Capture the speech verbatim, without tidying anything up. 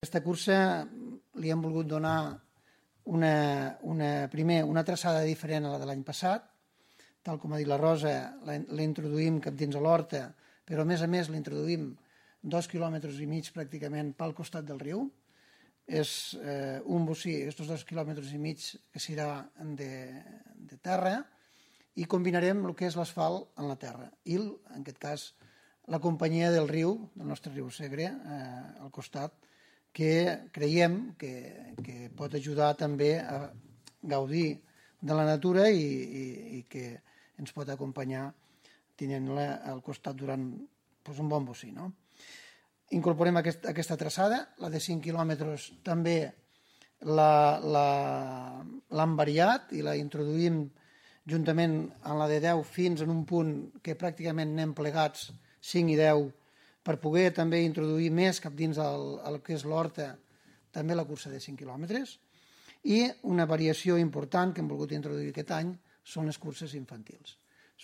Aquesta cursa li hem volgut donar una, una, primer una traçada diferent a la de l'any passat, tal com ha dit la Rosa, l'introduïm cap dins a l'horta, però a més a més l'introduïm dos quilòmetres i mig pràcticament pel costat del riu. És eh, un bocí, aquests dos quilòmetres i mig que serà de, de terra, i combinarem el que és l'asfalt en la terra i, en aquest cas, la companyia del riu, del nostre riu Segre, eh, al costat, que creiem que, que pot ajudar també a gaudir de la natura i, i, i que ens pot acompanyar tenint-la al costat durant doncs, un bon bocí. No? Incorporem aquest, aquesta traçada, la de cinc quilòmetres també l'hem variat i la introduïm juntament amb la de deu fins en un punt que pràcticament anem plegats cinc i deu per poder també introduir més cap dins el, el que és l'horta, també la cursa de cinc quilòmetres. I una variació important que hem volgut introduir aquest any són les curses infantils.